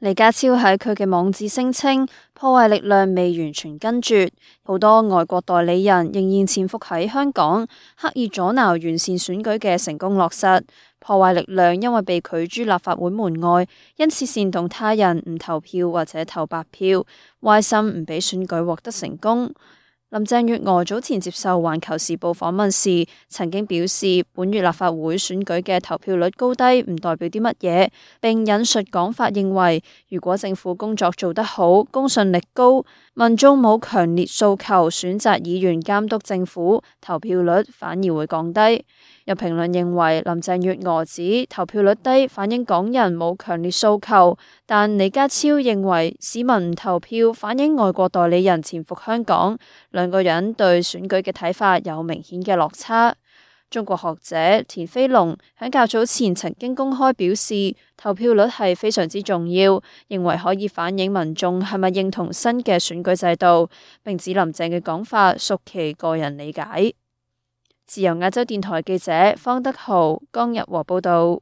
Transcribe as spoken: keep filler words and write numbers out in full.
李家超喺佢嘅網誌聲稱，破壞力量未完全根絕，好多外國代理人仍然潛伏喺香港，刻意阻撓完善選舉嘅成功落實。破壞力量因為被拒諸立法會門外，因此煽動他人唔投票或者投白票，壞心唔俾選舉獲得成功。林鄭月娥早前接受《環球時報》訪問時，曾經表示本月立法會選舉嘅投票率高低唔代表啲乜嘢，並引述講法認為，如果政府工作做得好，公信力高，民眾冇強烈訴求選擇議員監督政府，投票率反而會降低。有評論認為，林鄭月娥指投票率低反映港人冇強烈訴求，但李家超認為市民唔投票反映外國代理人潛伏香港，兩個人對選舉嘅睇法有明顯嘅落差。中國學者田飛龍喺較早前曾經公開表示，投票率係非常之重要，認為可以反映民眾係咪認同新嘅選舉制度，並指林鄭嘅講法屬其個人理解。自由亞洲電台記者方德豪、江日和報道。